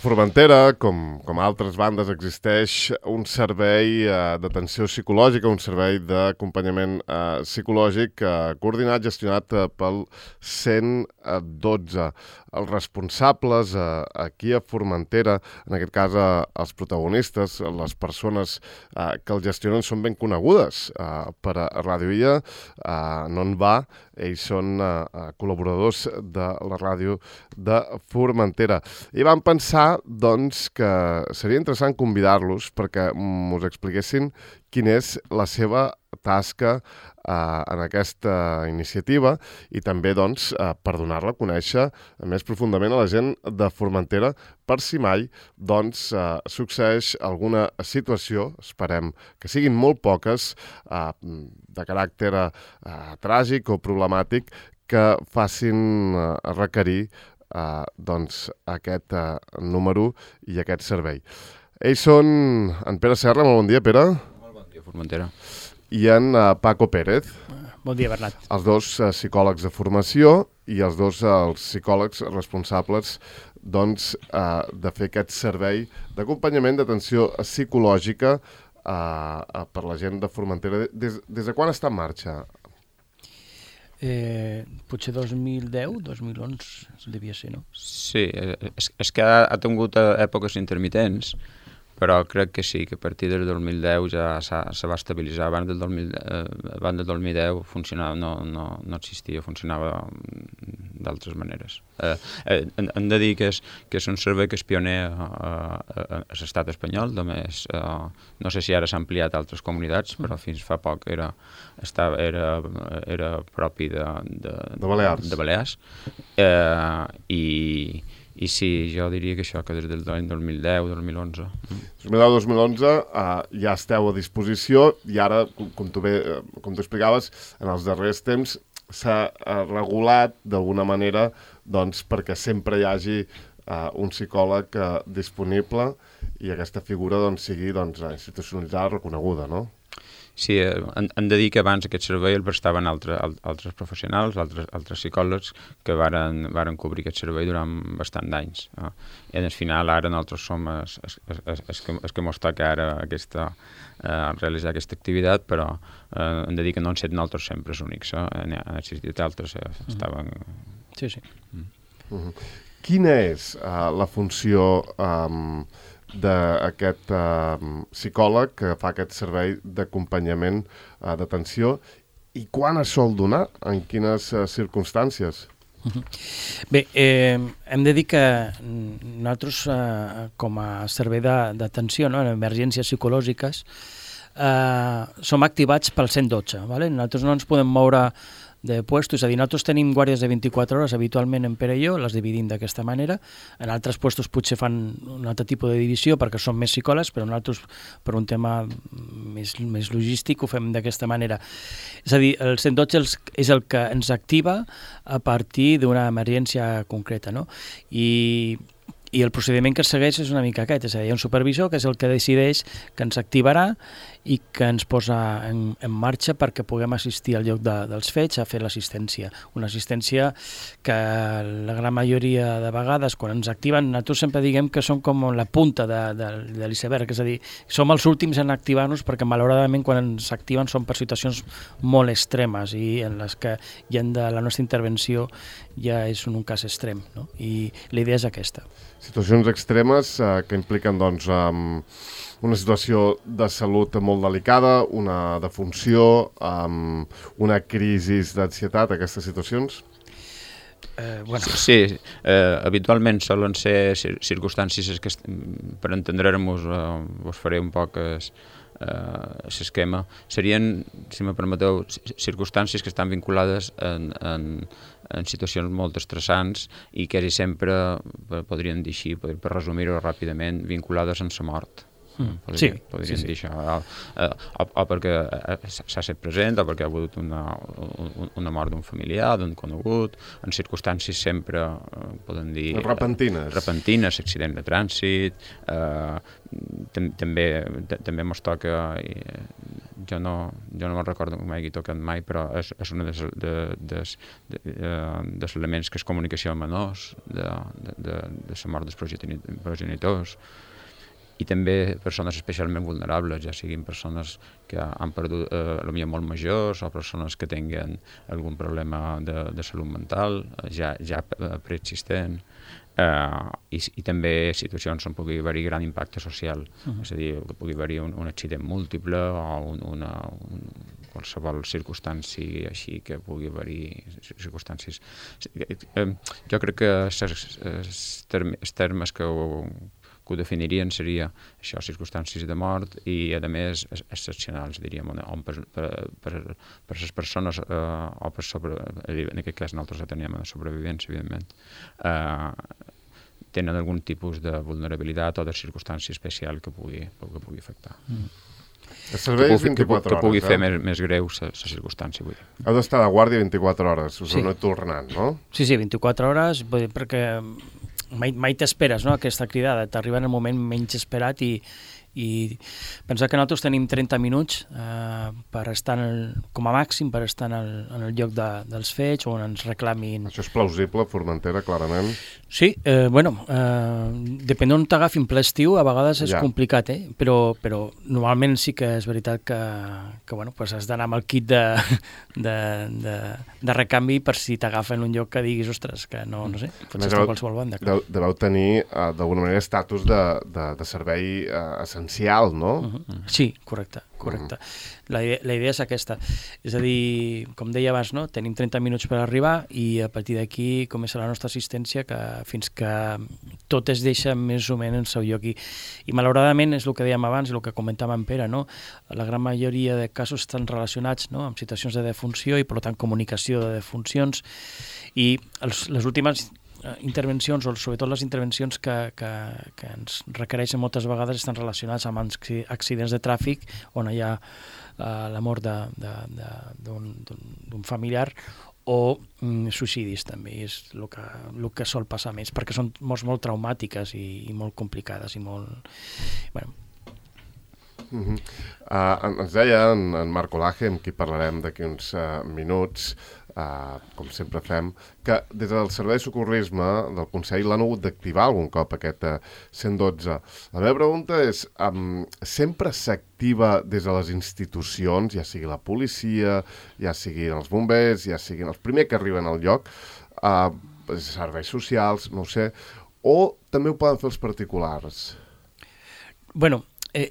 Formentera, com altres bandes, existeix un servei d'atenció psicològica, un servei d'acompanyament psicològic coordinat, gestionat pel 112. Els responsables aquí a Formentera, en aquest cas els protagonistes, les persones que el gestionen són ben conegudes per a Ràdio Illa, no en va, ells són col·laboradors de la ràdio de Formentera. I vam pensar, doncs, que seria interessant convidar-los perquè us expliquessin quina és la seva tasca en aquesta iniciativa i també, doncs, per donar-la a conèixer més profundament a la gent de Formentera per si mai, doncs, succeeix alguna situació, esperem que siguin molt poques, de caràcter tràgic o problemàtic, que facin requerir doncs, aquest número i aquest servei. Ells són en Pere Serra. Molt bon dia, Pere. Molt bon dia, Formentera. I en Paco Pérez. Bon dia, Bernat. Els dos psicòlegs de formació i els dos els psicòlegs responsables, doncs, de fer aquest servei d'acompanyament d'atenció psicològica per la gent de Formentera. Des de quan està en marxa? Potser 2010, 2011 devia ser, no? Sí, és que ha tingut èpoques intermitents, però crec que sí, que a partir del 2010 ja se va estabilitzar. Abans del 2010 funcionava, no existia, funcionava d'altres maneres. Hem de dir que és un servei que és pioner a l'estat espanyol, només, no sé si ara s'ha ampliat a altres comunitats, però fins fa poc era propi de Balears. I sí, jo diria que això, que des del 2010, 2011. 2010-2011 ja esteu a disposició i ara, com tu explicaves, en els darrers temps s'ha regulat d'alguna manera, doncs, perquè sempre hi hagi un psicòleg disponible i aquesta figura doncs, sigui institucionalitzada, reconeguda, no? Sí, hem de dir que abans aquest servei el prestaven altres professionals, altres psicòlegs que varen cobrir aquest servei durant bastant d'anys. I al final ara nosaltres som els que mos toca ara realitzar aquesta activitat, però hem de dir que no han estat nosaltres sempre els únics. Han existit altres, estaven... Sí. Quina és la funció d'aquest psicòleg que fa aquest servei d'acompanyament d'atenció i quan es sol donar? En quines circumstàncies? Bé, hem de dir que nosaltres com a servei d'atenció en emergències psicològiques som activats pel 112. Nosaltres no ens podem moure de puestos, és a dir, nosaltres tenim guàrdies de 24 hores habitualment en Pere i jo, les dividim d'aquesta manera. En altres puestos potser fan un altre tipus de divisió perquè són més psicòlegs, però nosaltres, per un tema més logístic, ho fem d'aquesta manera. És a dir, el 112 és el que ens activa a partir d'una emergència concreta, no? I el procediment que es segueix és una mica aquest, és a dir, hi ha un supervisor que és el que decideix que ens activarà i que ens posa en marxa perquè puguem assistir al lloc dels fets a fer l'assistència. Una assistència que la gran majoria de vegades, quan ens activen, nosaltres sempre diguem que som com la punta de l'iceberg, és a dir, som els últims en activar-nos perquè malauradament quan ens activen són per situacions molt extremes i en les que la nostra intervenció ja és un cas extrem, no? I la idea és aquesta. Situacions extremes que impliquen, doncs, una situació de salut molt delicada, una defunció, una crisi d'ansietat, aquestes situacions? Sí, habitualment solen ser circumstàncies que, per entendre-nos, us faré un poc l'esquema. Serien, si me permeteu, circumstàncies que estan vinculades en situacions molt estressants i quasi sempre, podríem dir així, per resumir-ho ràpidament, vinculades amb la mort. Podríem dir això, o perquè s'ha estat present, o perquè ha hagut una mort d'un familiar, d'un conegut, en circumstàncies sempre, podem dir... repentines, accident de trànsit, també ens toca jo no me'n recordo que m'hagi tocat mai, però és un dels elements que és comunicació amb menors, de la mort dels progenitors, i també persones especialment vulnerables, ja siguin persones que han perdut, potser molt majors, o persones que tinguin algun problema de salut mental, ja preexistent, i també situacions on pugui haver-hi gran impacte social, és a dir, que pugui haver-hi un accident múltiple o qualsevol circumstància així que pugui haver-hi circumstàncies. Jo crec que els termes que ho definirien seria això, circumstàncies de mort i, a més, excepcionals, diríem, on per les persones, o per en aquest cas nosaltres atenem a la sobrevivència, evidentment, tenen algun tipus de vulnerabilitat o de circumstància especial que pugui afectar. El servei és 24 hores, que pugui fer més greu la circumstància, vull dir. Heu d'estar de guàrdia 24 hores, us ho noto el Renat, no? Sí, 24 hores, perquè mai t'esperes, no?, aquesta cridada, t'arriba en el moment menys esperat i pensar que nosaltres tenim 30 minuts per estar, com a màxim, per estar en el lloc dels fets on ens reclamin. Això és plausible, Formentera, clarament? Sí, depèn d'on t'agafin ple estiu, a vegades és complicat, però normalment sí que és veritat que has d'anar amb el kit de recanvi per si t'agafen un lloc que diguis, ostres, que no sé, pots estar a qualsevol banda. Deveu tenir, d'alguna manera, estatus de servei essencial, no? Sí, correcte. La idea és aquesta. És a dir, com deia abans, no? Tenim 30 minuts per arribar i a partir d'aquí comença la nostra assistència fins que tot es deixa més o menys en el seu lloc. I malauradament és el que dèiem abans, el que comentava en Pere, no? La gran majoria de casos estan relacionats, no?, amb situacions de defunció i, per tant, comunicació de defuncions. I les últimes intervencions, o sobretot les intervencions que ens requereixen moltes vegades, estan relacionades amb accidents de tràfic on hi ha la mort d'un familiar o suïcidis també, és el que sol passar més, perquè són morts molt traumàtiques i molt complicades i molt... Ens deia en Marc Olaje, amb qui parlarem d'aquí uns minuts, com sempre fem, que des del Servei de Socorrisme del Consell l'han hagut d'activar algun cop aquest 112. La meva pregunta és, sempre s'activa des de les institucions, ja sigui la policia, ja siguin els bombers, ja siguin els primers que arriben al lloc, serveis socials, no ho sé, o també ho poden fer els particulars?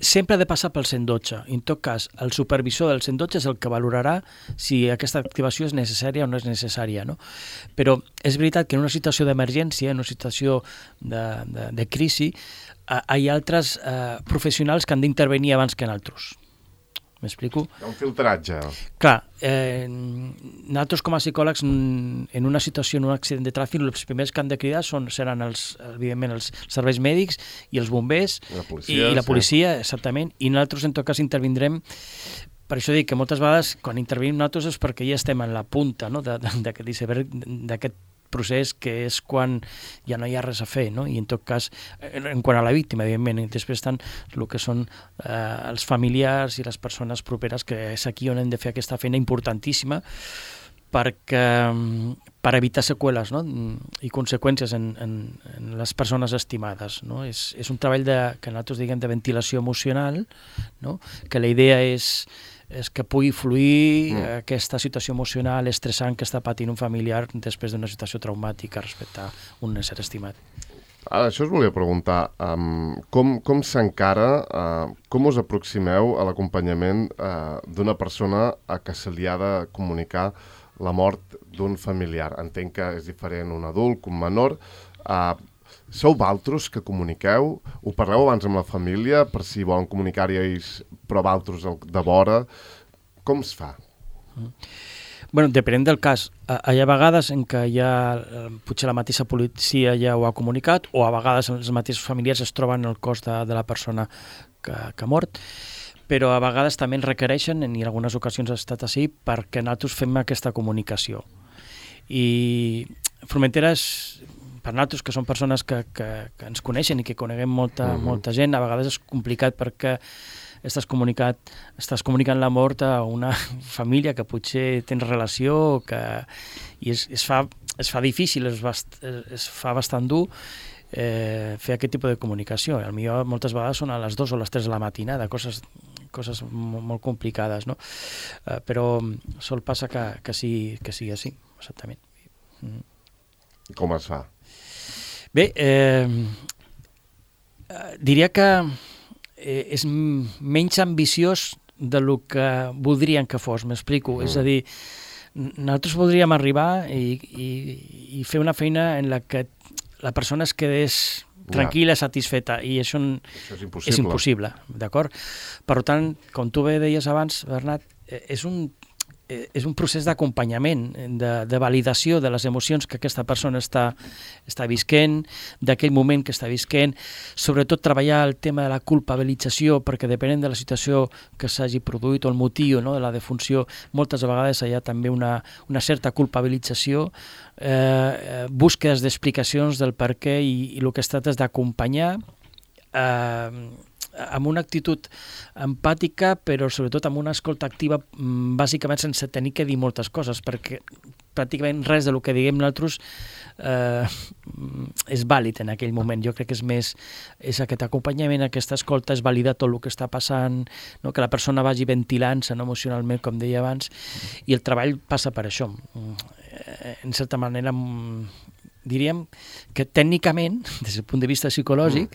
Sempre ha de passar pel 112. En tot cas, el supervisor del 112 és el que valorarà si aquesta activació és necessària o no és necessària, no? Però és veritat que en una situació d'emergència, en una situació de crisi, hi ha altres professionals que han d'intervenir abans que nosaltres. M'explico? Hi ha un filtratge. Clar, nosaltres com a psicòlegs, en una situació, en un accident de tràfic, els primers que han de cridar seran, evidentment, els serveis mèdics i els bombers i la policia, exactament, i nosaltres, en tot cas, intervindrem. Per això dic que moltes vegades, quan intervenim nosaltres, és perquè ja estem en la punta, no?, d'aquest iceberg, d'aquest procés que és quan ja no hi ha res a fer, no? I en tot cas, en quant a la víctima, evidentment, després estan el que són els familiars i les persones properes, que és aquí on hem de fer aquesta feina importantíssima per evitar seqüeles, no?, i conseqüències en les persones estimades, no? És un treball que nosaltres diguem de ventilació emocional, no?, que la idea és que pugui fluir aquesta situació emocional estressant que està patint un familiar després d'una situació traumàtica respecte a un ésser estimat. Això us volia preguntar. Com s'encara, com us aproximeu a l'acompanyament d'una persona a què se li ha de comunicar la mort d'un familiar? Entenc que és diferent un adult que un menor. Sou vosaltres que comuniqueu? Ho parleu abans amb la família per si volen comunicar-hi ells, però vosaltres de vora? Com es fa? Depenent del cas. Hi ha vegades en què potser la mateixa policia ja ho ha comunicat, o a vegades els mateixos familiars es troben el cos de la persona que ha mort, però a vegades també ens requereixen, i en algunes ocasions ha estat així, perquè nosaltres fem aquesta comunicació. I Formentera és, per nosaltres, que són persones que ens coneixen i que coneguem molta gent, a vegades és complicat perquè estàs comunicant la mort a una família que potser tens relació i es fa difícil, es fa bastant dur fer aquest tipus de comunicació. Potser moltes vegades són a les 2 o les 3 de la matinada, coses molt complicades, no? Però sol passar que sigui així, exactament. Com es fa? Bé, diria que és menys ambiciós del que voldrien que fos, m'explico. És a dir, nosaltres voldríem arribar i fer una feina en la que la persona es quedés tranquil·la, satisfeta, i això és impossible, d'acord? Per tant, com tu bé deies abans, Bernat, és un procés d'acompanyament, de validació de les emocions que aquesta persona està visquent, d'aquell moment que està visquent, sobretot treballar el tema de la culpabilització, perquè depenent de la situació que s'hagi produït o el motiu, no, de la defunció, moltes vegades hi ha també una certa culpabilització, búsquedes d'explicacions del per què, i el que es tracta és d'acompanyar amb una actitud empàtica, però sobretot amb una escolta activa, bàsicament sense tenir que dir moltes coses, perquè pràcticament res del que diguem nosaltres és vàlid en aquell moment. Jo crec que és aquest acompanyament, aquesta escolta, és validar tot el que està passant, no? Que la persona vagi ventilant-se, no, emocionalment, com deia abans, i el treball passa per això. En certa manera, diríem que tècnicament, des del punt de vista psicològic,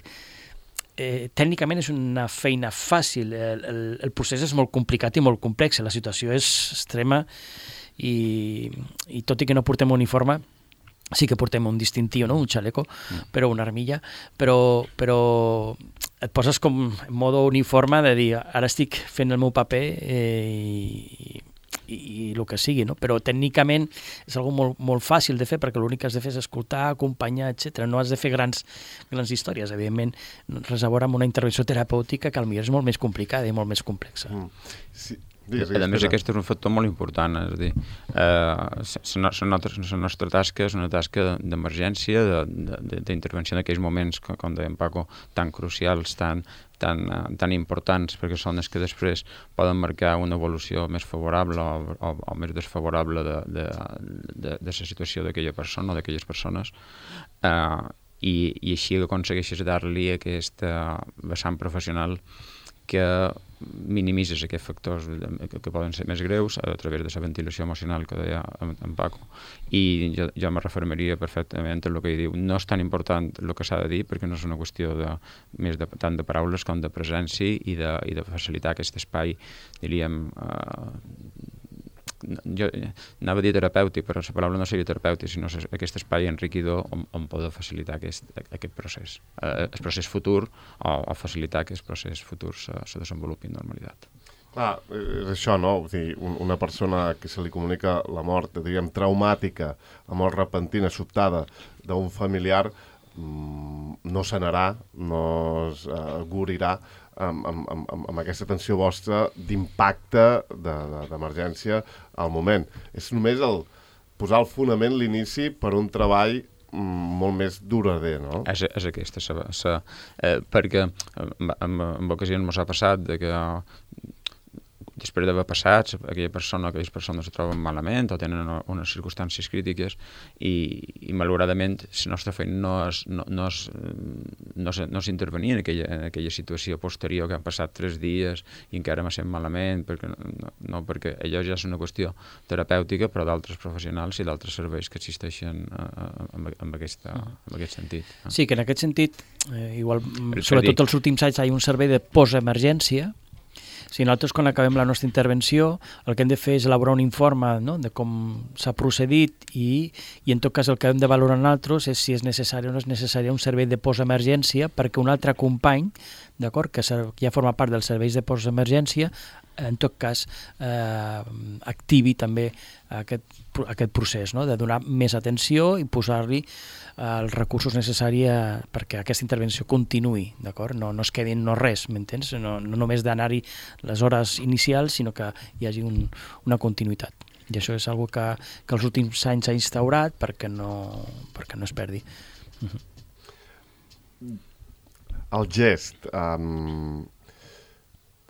tècnicament és una feina fàcil, el procés és molt complicat i molt complex, la situació és extrema i tot i que no portem uniforme, sí que portem un distintiu, no? Un xaleco, però una armilla, però et poses com en modo uniforme de dir, ara estic fent el meu paper i el que sigui, no? Però tècnicament és algo molt fàcil de fer, perquè l'únic que has de fer és escoltar, acompanyar, etc. No has de fer grans històries, evidentment, res a veure amb una intervenció terapèutica que potser és molt més complicada i molt més complexa. Sí. A més, aquest és un factor molt important, és a dir, la nostra tasca és una tasca d'emergència, d'intervenció en aquells moments, com deia en Paco, tan crucials, tan importants, perquè són els que després poden marcar una evolució més favorable o més desfavorable de la situació d'aquella persona o d'aquelles persones, i així aconsegueixes dar-li aquesta vessant professional que minimitzes aquests factors que poden ser més greus a través de la ventilació emocional que deia en Paco. I jo me refermaria perfectament a el que diu. No és tan important el que s'ha de dir, perquè no és una qüestió tant de paraules com de presència i de facilitar aquest espai, diríem, jo anava a dir terapèutic, però la paraula no seria terapèutic, sinó aquest espai enriquidor on poder facilitar aquest procés. El procés futur o facilitar que el procés futur se desenvolupi en normalitat. Clar, és això, no? O sigui, una persona que se li comunica la mort, diríem, traumàtica, la mort repentina, sobtada d'un familiar, no sanarà, no es guarirà amb aquesta atenció vostra d'impacte d'emergència al moment. És només posar el fonament, l'inici, per un treball molt més durader, no? És aquesta, perquè en ocasions ens ha passat que després d'haver passat, aquelles persones se troben malament o tenen unes circumstàncies crítiques i malauradament la nostra feina no és intervenir en aquella situació posterior que han passat 3 dies i encara m'ha sent malament, perquè allò ja és una qüestió terapèutica, però d'altres professionals i d'altres serveis que existeixen en aquest sentit. Sí, que en aquest sentit, igual, sobretot els últims anys, hi ha un servei de postemergència. Si nosaltres, quan acabem la nostra intervenció, el que hem de fer és elaborar un informe, no?, de com s'ha procedit i en tot cas el que hem de valorar nosaltres és si és necessari o no és necessari un servei de postemergència perquè un altre company, d'acord, que ja forma part dels serveis de postemergència, en tot cas activi també aquest procés, no?, de donar més atenció i posar-li els recursos necessaris perquè aquesta intervenció continuï, d'acord? No es quedi en no res, m'entens? No només d'anar-hi les hores inicials, sinó que hi hagi una continuïtat. I això és una cosa que els últims anys s'ha instaurat perquè no es perdi. El gest,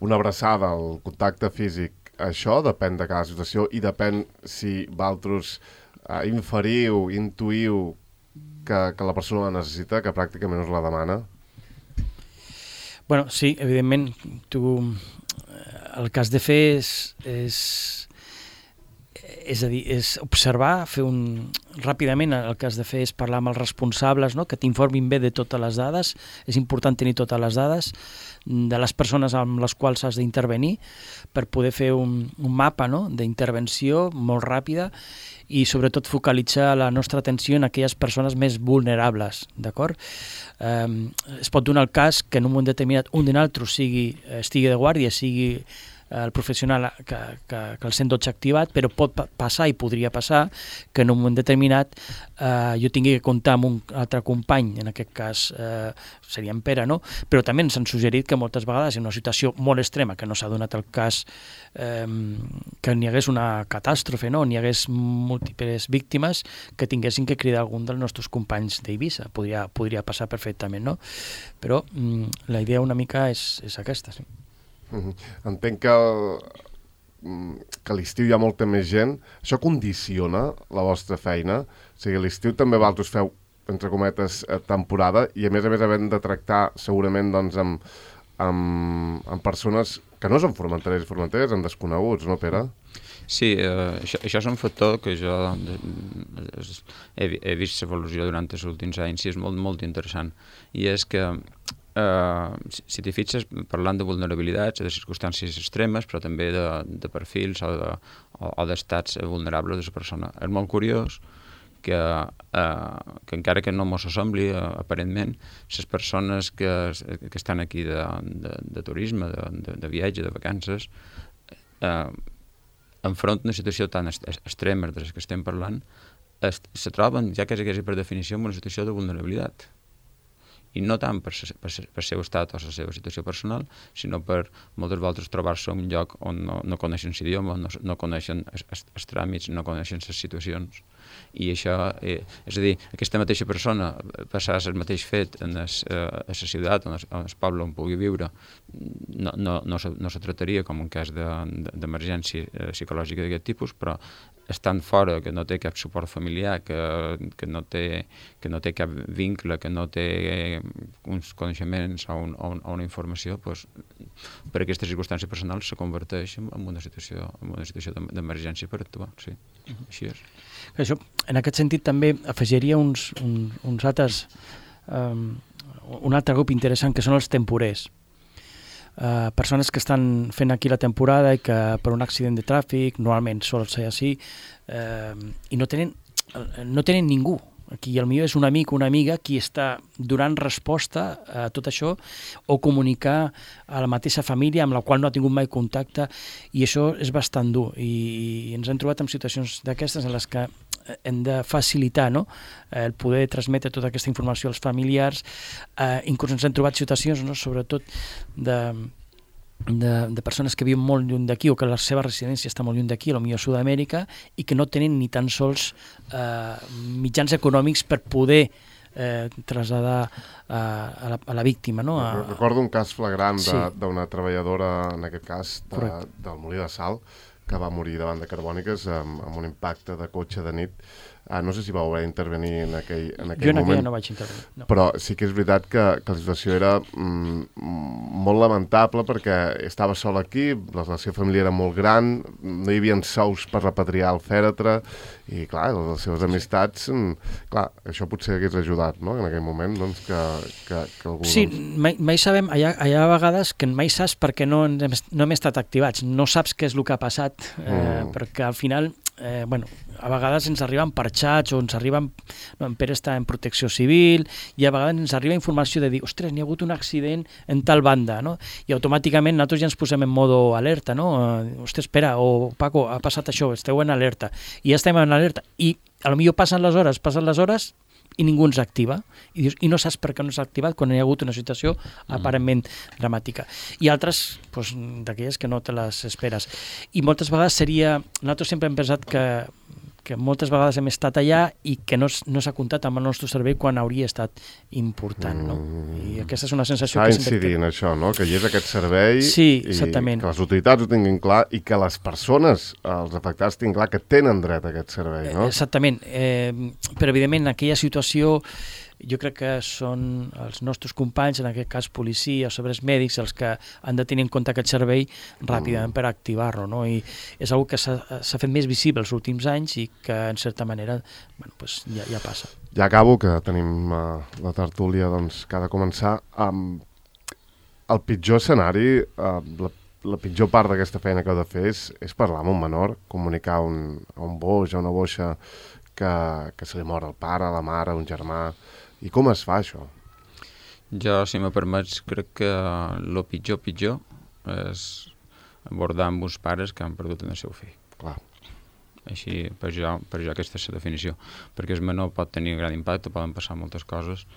una abraçada, el contacte físic, això depèn de cada situació i depèn si vosaltres inferiu, intuïu que la persona la necessita, que pràcticament us la demana. Bueno, sí, evidentment, el que has de fer és observar, ràpidament el que has de fer és parlar amb els responsables, no? Que t'informin bé de totes les dades. És important tenir totes les dades de les persones amb les quals has d'intervenir per poder fer un mapa, no? D'intervenció molt ràpida i sobretot focalitzar la nostra atenció en aquelles persones més vulnerables, d'acord? Es pot donar el cas que en un moment determinat un de nosaltres estigui de guàrdia, sigui el professional que el 112 activat, però pot passar i podria passar que en un moment determinat jo tingui que comptar amb un altre company, en aquest cas seria en Pere, no? Però també ens han suggerit que moltes vegades en una situació molt extrema, que no s'ha donat el cas que n'hi hagués una catàstrofe, no? N'hi hagués múltiples víctimes que tinguessin que cridar algun dels nostres companys d'Eivissa. Podria passar perfectament, no? Però la idea una mica és aquesta, sí. Entenc que a l'estiu hi ha molta més gent. Això condiciona la vostra feina? O sigui, a l'estiu també vosaltres feu, entre cometes, temporada i a més havent de tractar segurament doncs, amb persones que no són formenteres i formenteres, amb desconeguts, no, Pere? Sí, això és un factor que jo he vist l'evolució durant els últims anys i és molt, molt interessant. I és que si t'hi fixes, parlant de vulnerabilitats, de circumstàncies extremes, però també de perfils o d'estats vulnerables de la persona. És molt curiós que encara que no mos sembli, aparentment, les persones que estan aquí de turisme, de viatge, de vacances, enfront d'una situació tan extrema de les que estem parlant, se troben, ja quasi per definició, en una situació de vulnerabilitat. I no tant per seu estat o la seva situació personal, sinó per moltes voltes trobar-se en un lloc on no coneixen l'idioma, no coneixen els tràmits, no coneixen les situacions. I això, és a dir, aquesta mateixa persona passar el mateix fet a la ciutat, en el poble on pugui viure, no se tractaria com un cas d'emergència psicològica d'aquest tipus, però estant fora, que no té cap suport familiar, que no té cap vincle, que no té uns coneixements o una informació, doncs, per aquesta circumstància personal se converteix en una situació d'emergència per actuar. Sí, així és. Això, en aquest sentit també afegiria un altre grup interessant que són els temporers. Persones que estan fent aquí la temporada i que per un accident de tràfic, normalment sol ser així, i no tenen ningú. Aquí potser és un amic o una amiga qui està donant resposta a tot això o comunicar a la mateixa família amb la qual no ha tingut mai contacte, i això és bastant dur i ens hem trobat en situacions d'aquestes en les que hem de facilitar, no? El poder transmetre tota aquesta informació als familiars. Inclús ens hem trobat situacions, no? Sobretot de persones que viuen molt lluny d'aquí o que la seva residència està molt lluny d'aquí, potser a Sud-amèrica, i que no tenen ni tan sols mitjans econòmics per poder traslladar a la víctima. No? Recordo un cas flagrant d'una treballadora, en aquest cas, del Molí de Sal, que va morir davant de Carbòniques amb un impacte de cotxe de nit. No sé si vau haver d'intervenir en aquell moment. Jo en aquella no vaig intervenir. No. Però sí que és veritat que la situació era molt lamentable perquè estava sol aquí, la seva família era molt gran, no hi havia sous per repatriar el fèretre i, clar, les seves amistats, clar, això potser hagués ajudat, no?, en aquell moment, doncs, que algú... Sí, mai sabem, hi ha vegades que mai saps perquè no hem estat activats, no saps què és el que ha passat, perquè al final... a vegades ens arriben per xats o ens arriben, en Pere està en protecció civil, i a vegades ens arriba informació de dir, ostres, n'hi ha hagut un accident en tal banda, no? I automàticament nosaltres ja ens posem en modo alerta, no? Ostres, Pere o Paco, ha passat això, esteu en alerta, i ja estem en alerta, i potser passen les hores i ningú ens activa, i dius, i no saps per què no s'ha activat quan hi ha hagut una situació aparentment dramàtica. I altres, d'aquelles que no te les esperes. I moltes vegades nosaltres sempre hem pensat que que moltes vegades hem estat allà i que no s'ha comptat amb el nostre servei quan hauria estat important, no? I aquesta és una sensació que sempre... incidir en això, no? Que hi és aquest servei sí, i exactament. que les autoritats ho tinguin clar i que les persones, els afectats, tinguin clar que tenen dret a aquest servei, no? Exactament. Però, evidentment, en aquella situació jo crec que són els nostres companys, en aquest cas policia o serveis mèdics, els que han de tenir en compte aquest servei ràpidament per activar-lo, no? I és una que s'ha fet més visible els últims anys i que, en certa manera, bueno, pues ja passa. Ja acabo, que tenim la tertúlia doncs, que ha de començar. El pitjor escenari, la pitjor part d'aquesta feina que heu de fer és parlar amb un menor, comunicar a un boix, a una boixa que se li mor el pare, la mare, un germà. I com es fa, això? Jo, si me permets, crec que el pitjor és abordar amb uns pares que han perdut el seu fill. Clar. Així, per jo aquesta és la definició. Perquè el menor pot tenir gran impacte, poden passar moltes coses,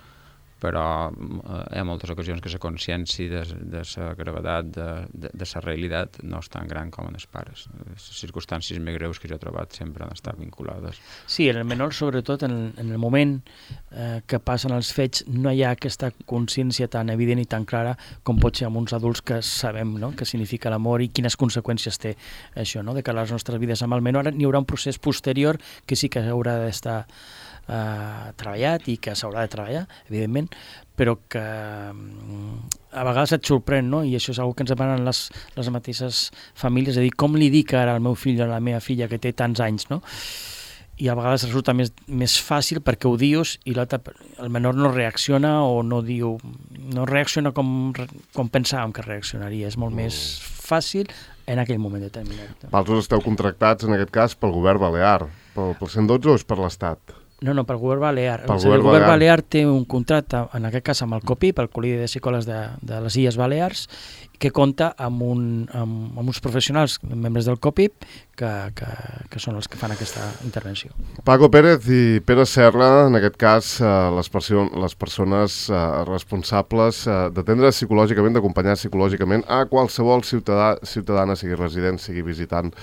però hi ha moltes ocasions que la consciència de la gravetat, de la realitat, no és tan gran com en els pares. Les circumstàncies més greus que jo he trobat sempre han estat vinculades. Sí, en el menor, sobretot, en el moment que passen els fets, no hi ha aquesta consciència tan evident i tan clara com pot ser amb uns adults que sabem, no?, què significa l'amor i quines conseqüències té això, no?, de cara a les nostres vides. Amb el menor n'hi haurà un procés posterior que sí que haurà d'estar treballat i que s'haurà de treballar, evidentment, però que a vegades et sorprèn, no? I això és una que ens demanen les mateixes famílies, és a dir, com li dic ara al meu fill o a la meva filla que té tants anys, no? I a vegades resulta més fàcil perquè ho dius i el menor no reacciona o no reacciona com pensàvem que reaccionaria. És molt més fàcil en aquell moment determinat. Vosaltres esteu contractats, en aquest cas, pel govern balear. Pel 112 o és per l'Estat? No, pel govern balear. El govern balear té un contracte, en aquest cas amb el COPIP, el Col·legi de Psicòlegs de les Illes Balears, que compta amb uns professionals, membres del COPIP, que són els que fan aquesta intervenció. Paco Pérez i Pere Serra, en aquest cas, les persones responsables d'atendre psicològicament, d'acompanyar psicològicament a qualsevol ciutadana, sigui resident, sigui visitant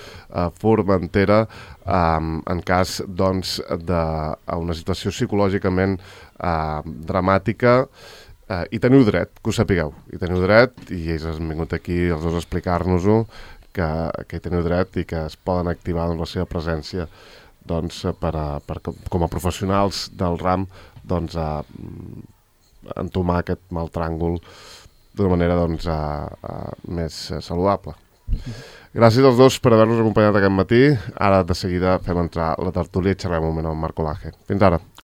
Formentera, en cas doncs, d'una situació psicològicament dramàtica. I teniu dret, que ho sapigueu, i teniu dret, i ells han vingut aquí els dos a explicar-nos-ho, que hi teniu dret i que es poden activar la seva presència doncs, com a professionals del ram doncs, a entomar aquest mal tràngol d'una manera doncs, més saludable. Gràcies als dos per haver-nos acompanyat aquest matí. Ara de seguida fem entrar la tertúlia i xerrem un moment amb Marco Laje. Fins ara.